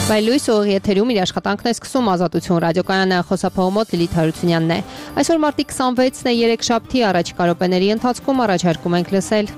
Լույս ուղիղ եթերում իր աշխատանքն է սկսում Ազատություն ռադիոկայանը, խոսափողմոտ Լիլիթ Հարությունյանն է։ Այսօր մարտի 26-ն է, երեքշաբթի, առաջիկա րոպեների ընթացքում առաջարկում ենք լսել։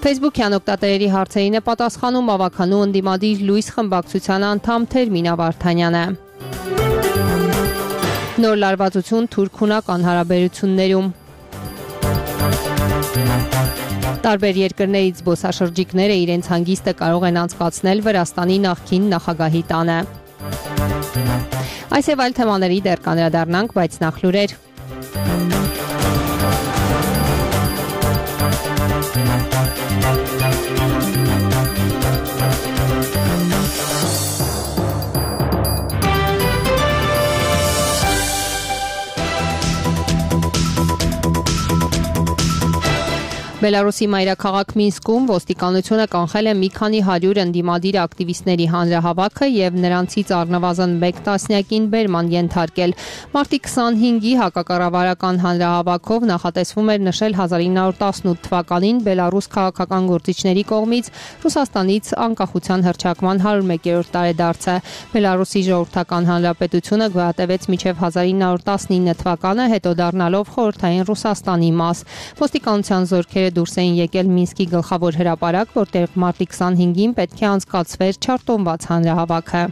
Facebook-յան օգտատերերի հարցերին է պատասխանում ավականու ընդդիմադիր Լույս խմբակցության անդամ Թերմինա Վարդանյանը։ Նոր լարվածություն թուրք-հունական հարաբերություններում։ Տարբեր երկրներից զբոսաշրջիկները իրենց հանգիստը կարող են անցկացնել Վրաստանի նախկին նախագահի տանը։ Այս եւ այլ թեմաների դեռ կանդրադառնանք, բայց նախ լուրեր։ Բելարուսի մայրաքաղաք Մինսկում ոստիկանությունը կանխել է մի քանի 100 ընդդիմադիր ակտիվիստների հանրահավաքը եւ նրանցից առնվազն 1 տասնյակին բերման ենթարկել։ Մարտի 25-ի հակակառավարական հանրահավաքով նախատեսվում էր նշել 1918 թվականին Բելարուս քաղաքական գործիչների կողմից Ռուսաստանից անկախության հռչակման 101-րդ տարեդարձը։ Բելարուսի ժողովրդական հանրապետությունը գոյատևեց մինչև 1919 թվականը, հետո դառնալով խորհրդային Ռուսաստանի մաս։ Ոստիկանության զորքերը դուրս էին եկել Մինսկի գլխավոր հրապարակ, որտեղ մարտի 25-ին պետք է անցկացվեր չարտոնված հանրահավաքը։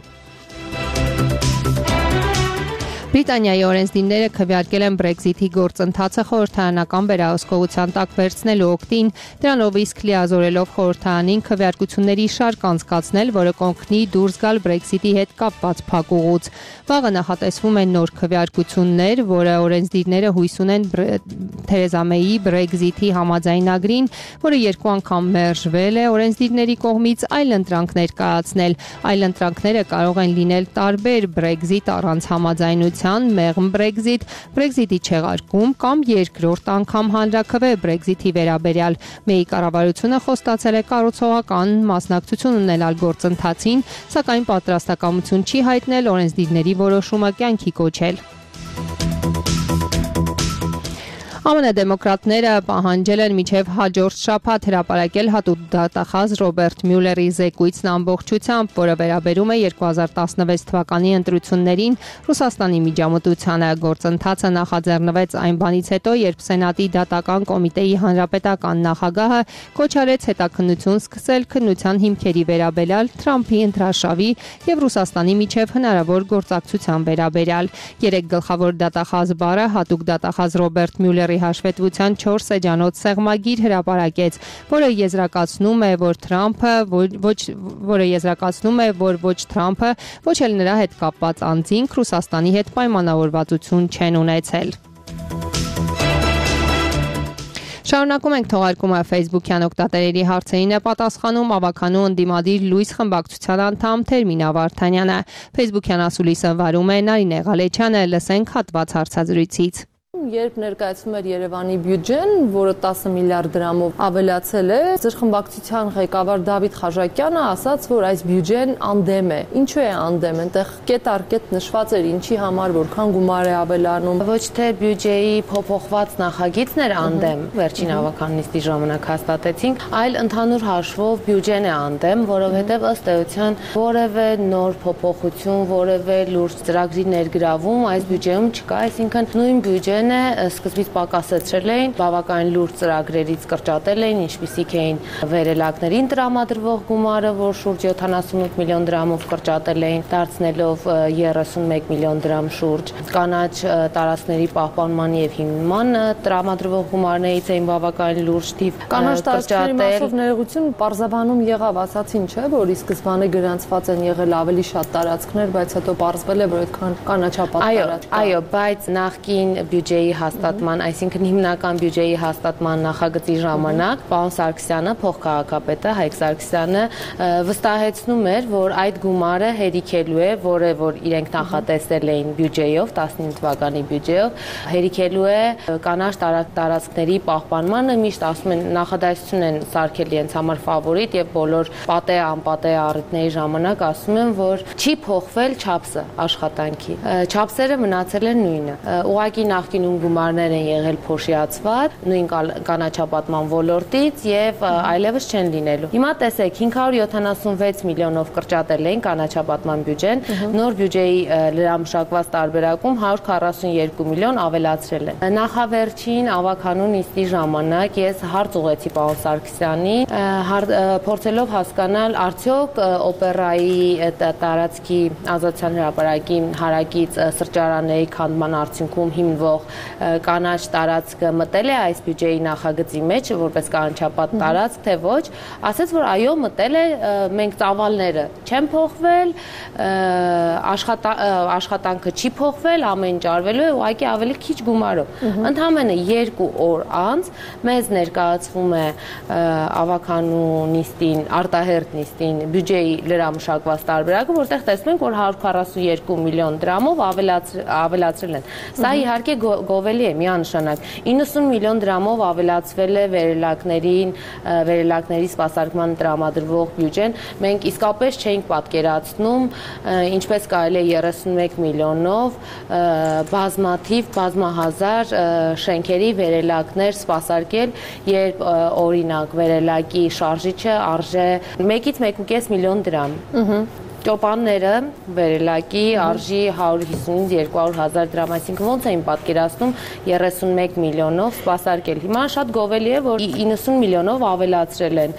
Բրիտանիայի օրենսդիրները քվեարկել են Brexit-ի գործընթացը խորհրդարանական վերահսկողության տակ վերցնելու օգտին, դրանով իսկ լիազորելով խորհրդարանին քվեարկությունների շարք անցկացնել, որը կօգնի դուրս գալ Brexit-ի հետ կապված փակուղուց։ Վաղը նախատեսվում են նոր քվեարկություններ, որը օրենսդիրները հույս ունեն Թերեզա Մեյի Brexit-ի համաձայնագրին, որը 2 անգամ մերժվել է օրենսդիրների կողմից, այլընտրանքներ կայացնել։ Այլընտրանքները կարող են լինել տարբեր Brexit առանց համաձայնության, մեղմ Brexit, Brexit-ի չեղարկում կամ երկրորդ անգամ հանրաքվե Brexit-ի վերաբերյալ։ Մեյի կառավարությունը խոստացել է կառուցողական մասնակցություն ունենալ գործընթացին, սակայն պատրաստակամություն չի հայտնել օրենսդիրների որոշումը կյանքի կոչել։ ԱՄՆ դեմոկրատները պահանջել են մինչև հաջորդ շաբաթ հրապարակել հատուկ դատախազ Ռոբերտ Մյուլերի զեկույցն ամբողջությամբ, որը վերաբերում է 2016 թվականի ընտրություններին Ռուսաստանի միջամտությանը։ Գործընթացը նախաձեռնվեց այն բանից հետո, երբ Սենատի դատական կոմիտեի հանրապետական նախագահը կոչ արեց հետաքննություն սկսել քննության հիմքերի վերաբերյալ Թրամփի ընտրարշավի եւ Ռուսաստանի միջև հնարավոր գործակցության վերաբերյալ։ 3 գլխավոր դատախազ բառը հատուկ դատախազ Ռոբերտ Մյուլերի հաշվետվության 4 էջանոց սեղմագիր հրապարակեց, որը եզրակացնում է, որ ոչ Թրամփը, ոչ էլ նրա հետ կապված անձինք Ռուսաստանի հետ պայմանավորվածություն չեն ունեցել։ Շարունակում ենք թողարկումը Facebook-յան օգտատերերի հարցերին է պատասխանում ավականու ընդդիմադիր Լույս խմբակցության անդամ Թերմինա Վարդանյանը։ Facebook-յան ասուլիսը վարում է Նարինե Ղալեչյանը, լսենք հատված հարցազրույցից։ Երբ ներկայացվում էր Երևանի բյուջեն, որը 10 միլիարդ դրամով ավելացել է, ձեր խմբակցության ղեկավար Դավիթ Խաչատյանը ասաց, որ այս բյուջեն անդեմ է։ Ինչու է անդեմ, այնտեղ կետ առ կետ նշված էր ինչի համար որքան գումար է ավելանում։ Ոչ թե բյուջեի փոփոխված նախագիծն էր անդեմ, վերջին ավական նիստի ժամանակ հաստատեցինք, այլ ընդհանուր հաշվով բյուջեն է անդեմ, որովհետև ըստ էության որևէ նոր փոփոխություն, որևէ լուրջ ծրագրի ներգրավում այս բյուջեում չկա, այսինքն նույն բյուջեն սկզբից պակասեցրել էին, բավական լուրջ ծրագրերից կրճատել էին, ինչպիսիք էին վերելակներին տրամադրվող գումարը, որ շուրջ 78 միլիոն դրամով կրճատել էին, դարձնելով 31 միլիոն դրամ շուրջ։ Կանաչ տարածքների պահպանման եւ հիմնման տրամադրվող գումարներից էին բավական լուրջ թիվ կանաչ տարածքների մասով ներողություն պարզաբանում եղավ, ասացին, չէ, որ ի սկզբանե գրանցված են եղել ավելի շատ տարածքներ, բայց հետո պարզվել է, որ այդքան կանաչապատ տարածք։ Այո, բայց նախկին բյուջեի հաստատման, այսինքն հիմնական բյուջեի հաստատման նախագծի ժամանակ պարոն Սարգսյանը, փոխքաղաքապետը Հայկ Սարգսյանը վստահեցնում էր, որ այդ գումարը հերիքելու է, որ իրենք նախատեսել էին բյուջեով, 19 թվականի բյուջեով, հերիքելու է կանաչ տարածքների պահպանմանը, միշտ ասում են նախադասություն են սարքել իրենց համար ֆավորիտ եւ բոլոր պատե անպատե առիթների ժամանակ ասում են, որ չի փոխվել չափսը աշխատանքի։ Չափսերը մնացել են նույնը։ Ուղղակի նախկին նույն գումարներ են եղել փոշիացված, նույն կանաչապատման ոլորտից եւ այլևս չեն լինելու։ Հիմա տեսեք, 576 միլիոնով կրճատել էին կանաչապատման բյուջեն, նոր բյուջեի լրամշակված տարբերակում 142 միլիոն ավելացրել են։ Նախավերջին ավականու նիստի ժամանակ ես հարց ուղղեցի պարոն Սարգսյանին, փորձելով հասկանալ արդյոք օպերայի տարածքի Ազատության հրապարակի հարակից սրճարանների քանդման արդյունքում հիմնվող կանաչ տարածքը մտել է այս բյուջեի նախագծի մեջ որպես կանաչապատ տարածք, թե ոչ, ասաց, որ այո, մտել է, մենք ծավալները չեն փոխվել, աշխատանքը չի փոխվել, ամեն ինչ արվելու է ուղղակի ավելի քիչ գումարով։ Ընդամենը 2 օր անց մեզ ներկայացվում է ավականու նիստին, արտահերթ նիստին բյուջեի լրամշակված տարբերակը, որտեղ տեսնում ենք, որ 142 միլիոն դրամով ավելացրել են։ Սա իհարկե գովելի է միանշանակ։ 90 միլիոն դրամով ավելացվել է վերելակների սպասարկման տրամադրվող բյուջեն։ Մենք իսկապես չէինք պատկերացնում, ինչպես կարելի է 31 միլիոնով բազմահազար շենքերի վերելակներ սպասարկել, երբ օրինակ վերելակի շարժիչը արժե 1-ից 1.5 միլիոն դրամ։ Ճոպանները վերելակի արժի 150-ից 200 հազար դրամ, այսինքն ոնց էին պատկերացնում 31 միլիոնով սպասարկել։ Հիմա շատ գովելի է, որ 90 միլիոնով ավելացրել են։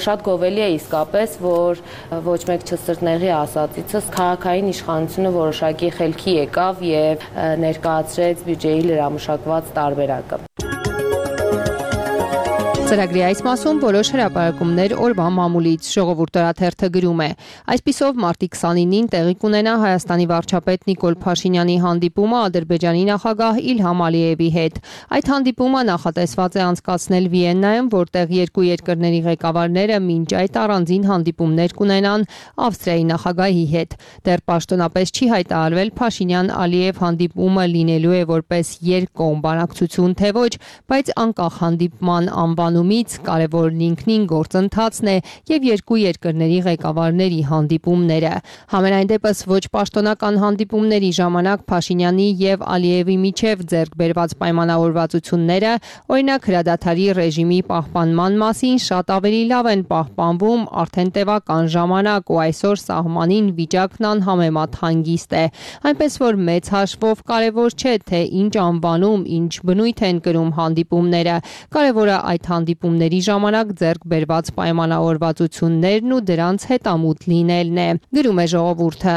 Շատ գովելի է իսկապես, որ ոչ մեկ չսրտնեղի ասածիցս քաղաքային իշխանությունը որոշակի խելքի եկավ եւ ներկայացրեց բյուջեի լրամշակված տարբերակը։ Ծրագրի այս մասում որոշ հրապարակումներ օրվա մամուլից ժողովուրդ օրաթերթը գրում է. Այսպիսով մարտի 29-ին տեղի կունենա Հայաստանի վարչապետ Նիկոլ Փաշինյանի հանդիպումը Ադրբեջանի նախագահ Իլհամ Ալիևի հետ։ Այդ հանդիպումը նախատեսված է անցկացնել Վիեննայում, որտեղ երկու երկրների ղեկավարները մինչ այդ առանձին հանդիպումներ կունենան Ավստրիայի նախագահի հետ։ Դեռ պաշտոնապես չի հայտարարվել Փաշինյան-Ալիև հանդիպումը լինելու է որպես երկկողմ բանակցություն, թե ոչ, բայց անկախ հանդիպման անվանումից կարևորն ինքնին գործընթացն է եւ երկու երկրների ղեկավարների հանդիպումները։ Համենայն դեպս ոչ պաշտոնական հանդիպումների ժամանակ Փաշինյանի եւ Ալիևի միջև ձեռք բերված պայմանավորվածությունները, օրինակ հրադադարի ռեժիմի պահպանման մասին, շատ ավելի լավ են պահպանվում արդեն տևական ժամանակ ու այսօր սահմանին վիճակն անհամեմատ հանգիստ է։ Այնպես որ մեծ հաշվով կարևոր չէ, թե ինչ անվանում, ինչ բնույթ են կրում հանդիպումները։ Կարևորը այդ հանդիպումների ժամանակ ձեռք բերված պայմանավորվածություններն ու դրանց հետամուտ լինելն է, գրում է ժողովուրդը։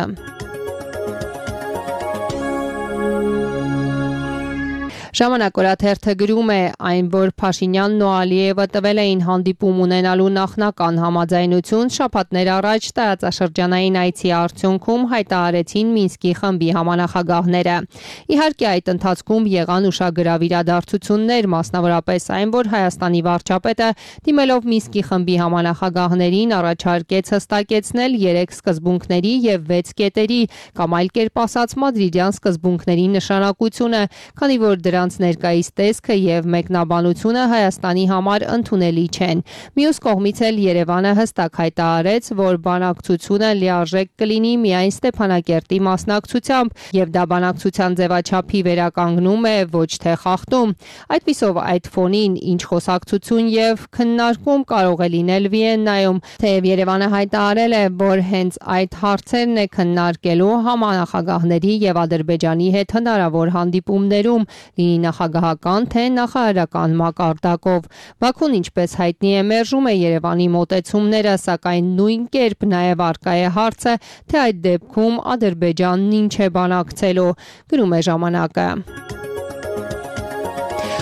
Ժամանակ օրաթերթը գրում է, այն, որ Փաշինյանն ու Ալիևը տվել էին հանդիպում ունենալու նախնական համաձայնություն, շաբաթներ առաջ տարածաշրջանային այցի արդյունքում հայտարարեցին Մինսկի խմբի համանախագահները։ Իհարկե այդ ընթացքում եղան ուշագրավ իրադարձություններ, մասնավորապես այն, որ Հայաստանի վարչապետը դիմելով Մինսկի խմբի համանախագահներին առաջարկեց հստակեցնել 3 սկզբունքների եւ 6 կետերի կամ այլ կերպ ասած մադրիդյան սկզբունքների նշանակությունը, քանի որ դրանց ներկայիս տեսքը եւ մեկնաբանությունը Հայաստանի համար ընդունելի չեն։ Մյուս կողմից էլ Երևանը հստակ հայտարարեց, որ բանակցությունը լիարժեք կլինի միայն Ստեփանակերտի մասնակցությամբ եւ դա բանակցության ձևաչափի վերականգնում է, ոչ թե խախտում։ Այդպիսով այդ ֆոնին ինչ խոսակցություն եւ քննարկում կարող է լինել Վիեննայում, թեև Երևանը հայտարարել է, որ հենց այդ հարցերն է քննարկելու համանախագահների եւ Ադրբեջանի հետ հնարավոր հանդիպումներում, նախագահական թե նախարարական մակարդակով։ Բաքուն, ինչպես հայտնի է, մերժում է Երևանի մոտեցումները, սակայն նույն կերպ նաև առկա է հարցը, թե այդ դեպքում Ադրբեջանն ինչ է բանակցելու, գրում է ժամանակը։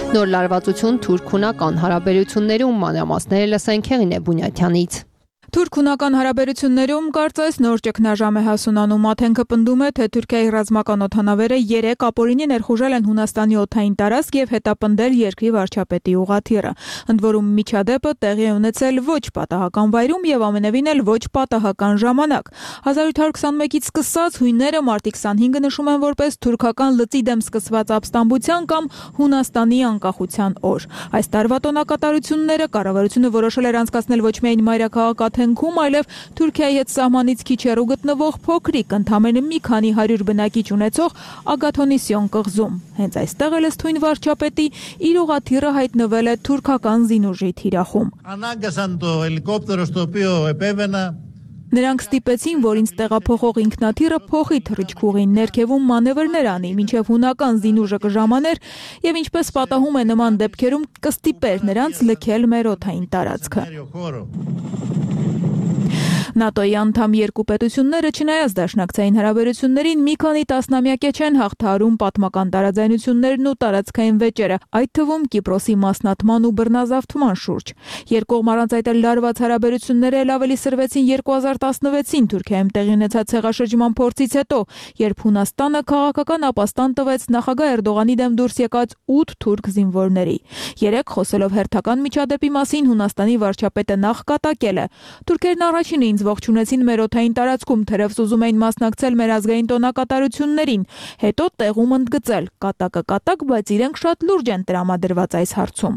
Նոր լարվածություն թուրք-հունական հարաբերություններում մանրամասները լսենք Հեղինե Բունյաթյանից։ Թուրք-հունական հարաբերություններում կարծես նոր ճգնաժամ է հասունանում։ Աթենքը պնդում է, թե Թուրքիայի ռազմական օդանավերը 3 ապօրինի ներխուժել են Հունաստանի օդային տարածք եւ հետապնդել երկրի վարչապետի ուղղաթիռը։ Ընդ որում միջադեպը տեղի է ունեցել ոչ պատահական վայրում եւ ամենևին էլ ոչ պատահական ժամանակ։ 1821-ից սկսած հույները մարտի 25-ը նշում են որպես թուրքական լծի դեմ սկսված ապստամբության կամ Հունաստանի անկախության օր։ Այս տարվա տոնակատարությունները կառավարությունը որոշել էր անցկացնել ոչ միայն մայրաքաղաք համայնքում, այլև Թուրքիայի հետ սահմանից քիչ հեռու գտնվող փոքրիկ, ընդամենը մի քանի 100 բնակիչ ունեցող Ագաթոնիսիոն կղզում։ Հենց այստեղ էլ ըստ վարչապետի իր ուղղաթիռը հայտնվել է թուրքական զինուժի թիրախում։ Նրանք ստիպեցին, որ ինձ տեղափոխող ինքնաթիռը փոխի թռիչքուղին, ներքևում մանևրներ անի, մինչև հունական զինուժը կժամաներ եւ ինչպես պատահում է նման դեպքերում կստիպեր նրանց լքել մեր օդային տարածքը։ ՆԱՏՕ-ի անդամ երկու պետությունները չնայած դաշնակցային հարաբերություններին մի քանի տասնամյակ չեն հաղթահարում պատմական տարաձայնություններն ու տարածքային վեճերը, այդ թվում Կիպրոսի մասնատման ու բռնազավթման շուրջ։ Երկկողմ առանց այդ էլ լարված հարաբերությունները էլ ավելի սրվեցին 2016-ին Թուրքիայում տեղի ունեցած ցեղաշրջման փորձից հետո, երբ Հունաստանը քաղաքական ապաստան տվեց նախագահ Էրդողանի դեմ դուրս եկած 8 թուրք զինվորների։ Երեք խոսելով հերթական միջադեպի մասին Հունաստանի վարչապետը նախ կատակել է. Թուրքերն առաջինը ինձ ողջունեցին մեր օդային տարածքում, թերևս ուզում էին մասնակցել մեր ազգային տոնակատարություններին, հետո տեղում ընդգծել. կատակ, բայց իրենք շատ լուրջ են տրամադրված այս հարցում։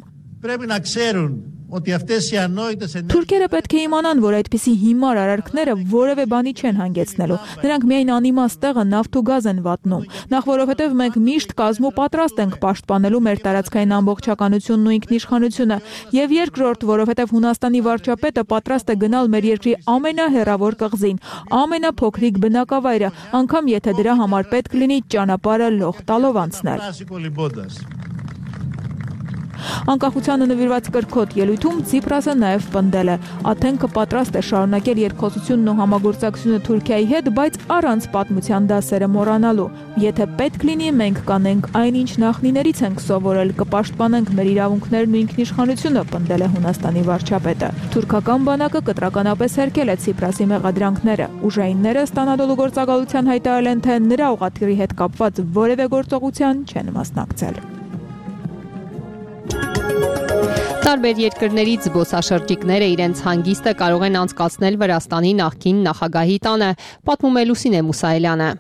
Թուրքերը պետք է իմանան, որ այդպիսի հիմար արարքները որևէ բանի չեն հանգեցնելու։ Նրանք միայն անիմաստ տեղը նավթ ու գազ են վատնում։ Նախ որովհետև մենք միշտ կազմու պատրաստ ենք պաշտպանելու մեր տարածքային ամբողջականությունն ու ինքնիշխանությունը, եւ երկրորդ, որովհետև Հունաստանի վարչապետը պատրաստ է գնալ մեր երկրի ամենահեռավոր կղզին, ամենափոքրիկ բնակավայրը, անգամ եթե դրա համար պետք լինի ճանապարհը լող տալով անցնել։ Անկախությանը նվիրված կրքոտ ելույթում Ցիպրասը նաև պնդել է. Աթենքը պատրաստ է շարունակել երկխոսությունն ու համագործակցությունը Թուրքիայի հետ, բայց առանց պատմության դասերը մոռանալու։ Եթե պետք լինի, մենք կանենք այնինչ նախնիներից ենք սովորել, կպաշտպանենք մեր իրավունքներն ու ինքնիշխանությունը, պնդել է Հունաստանի վարչապետը։ Թուրքական բանակը կտրականապես հերքել է Ցիպրասի մեղադրանքները։ Ուժայինները ստանալու գործակալության հայտարարել են, թե նրա ուղղաթիռի հետ կապված որևէ գործողության չեն մասնակցել։ Տարբեր երկրներից զբոսաշրջիկները իրենց հանգիստը կարող են անցկացնել Վրաստանի նախկին նախագահի տանը, պատմում է Լուսինե Մուսայելյանը։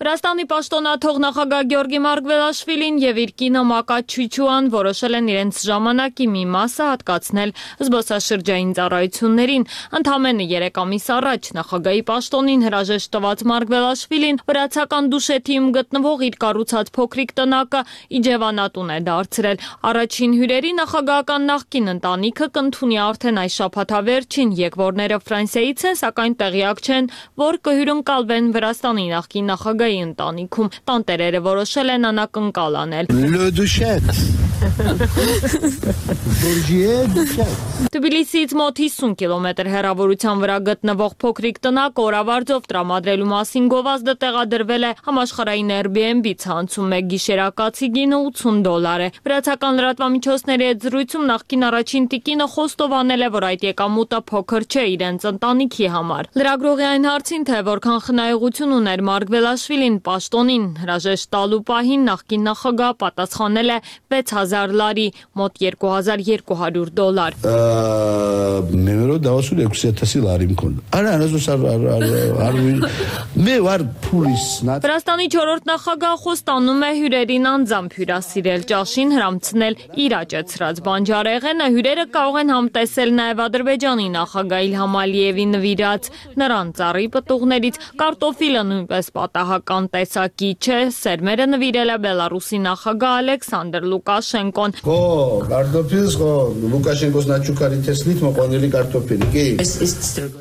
Վրաստանի պաշտոնաթող նախագահ Գյորգի Մարգվելաշվիլին եւ իր կինը Մակատ Չուչուան որոշել են իրենց ժամանակի մի մասը հատկացնել զբոսաշրջային ծառայություններին։ Ընդամենը 3 ամիս առաջ նախագահի պաշտոնին հրաժեշտ տված Մարգվելաշվիլին վրացական Դուշեթիում գտնվող իր կառուցած փոքրիկ տնակը Իջևանատուն է դարձրել։ Առաջին հյուրերի նախագահական նախկին ընտանիքը կընդունի արդեն այս շաբաթավերջին, եկվորները Ֆրանսիայից են, սակայն տեղյակ չեն, որ կհյուրընկալվեն Վրաստանի նախկին նախագահ ընտանիքում տանտերերը որոշել են անակնկալ անել։ Թբիլիսիից մոտ 50 կիլոմետր հեռավորության վրա գտնվող փոքրիկ տնակը օրավարձով տրամադրելու մասին գովազդը տեղադրվել է համաշխարհային Airbnb ցանցում, մեկ գիշերակացի գինը $80 է։ Վրացական լրատվամիջոցների հետ զրույցում նախկին առաջին տիկինը խոստովանել է, որ այդ եկամուտը փոքր չէ իրենց ընտանիքի համար։ Լրագրողի այն հարցին, թե որքան խնայողություն ուներ Մարգվելաշվիլին պաշտոնին հրաժեշտ տալու պահին, նախկին նախագահ պատասխանել է 6000 լարի, մոտ $2200։ Մեմերո դասու 2000 լարի մքոն։ Արա Վրաստանի 4-րդ նախագահը ստանում է հյուրերին անձամբ հյուրասիրել, ճաշին հրամցնել իր աճեցրած բանջարեղենը, հյուրերը կարող են համտեսել նաև Ադրբեջանի նախագահ Իլհամ Ալիևի նվիրած նրան ծառի պտուղներից, կարտոֆիլը նույնպես պատահական տեսակի չէ, սերմերը նվիրել է Բելարուսի նախագահ Ալեքսանդր Լուկաշենկոն։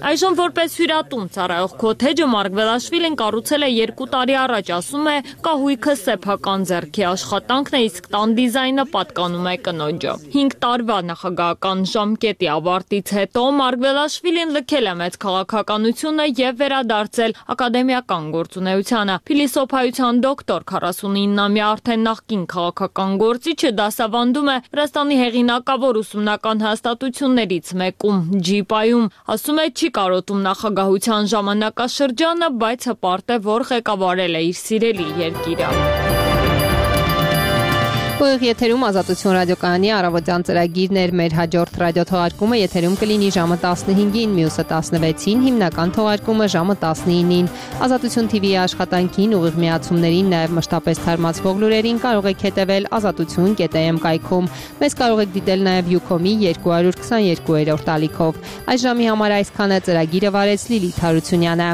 Այժմ որպես հյուրատուն ծառայող քոթեջը Մարգվելաշվիլին կառուցել է 2 տարի առաջ, ասում է, կահույքը սեփական ձեռքի աշխատանքն է, իսկ տան դիզայնը պատկանում է կնոջը։ 5 տարվա նախագահական ժամկետի ավարտից հետո Մարգվելաշվիլին լքել է մեծ քաղաքականությունը եւ վերադարձել ակադեմիական գործունեությանը։ Փիլիսոփայության դոկտոր 49-ամյա արդեն նախկին քաղաքական գործիչը դասավանդում է Վրաստանի հեղինակավոր ուսումնական հաստատություններից մեկում ՋԻՊԱ-ում, ասում է չի կարոտում նախագահության ժամանակաշրջանը, բայց հպարտ է, որ ղեկավարել է իր սիրելի երկիրը։ Ուղիղ եթերում Ազատություն ռադիոկայանի առավոտյան ծրագիրն էր, մեր հաջորդ ռադիոթողարկումը եթերում կլինի ժամը 15-ին, մյուսը 16-ին, հիմնական թողարկումը ժամը 19-ին։ Ազատություն TV-ի աշխատանքին, ուղիղ միացումներին, նաև մշտապես թարմացվող լուրերին կարող եք հետևել azatutun.am կայքում։ Մեզ կարող եք դիտել նաև Ucom-ի 222-րդ ալիքով։ Այս ժամի համար այսքան է, ծրագիրը վարեց Լիլիթ Հարությունյանը։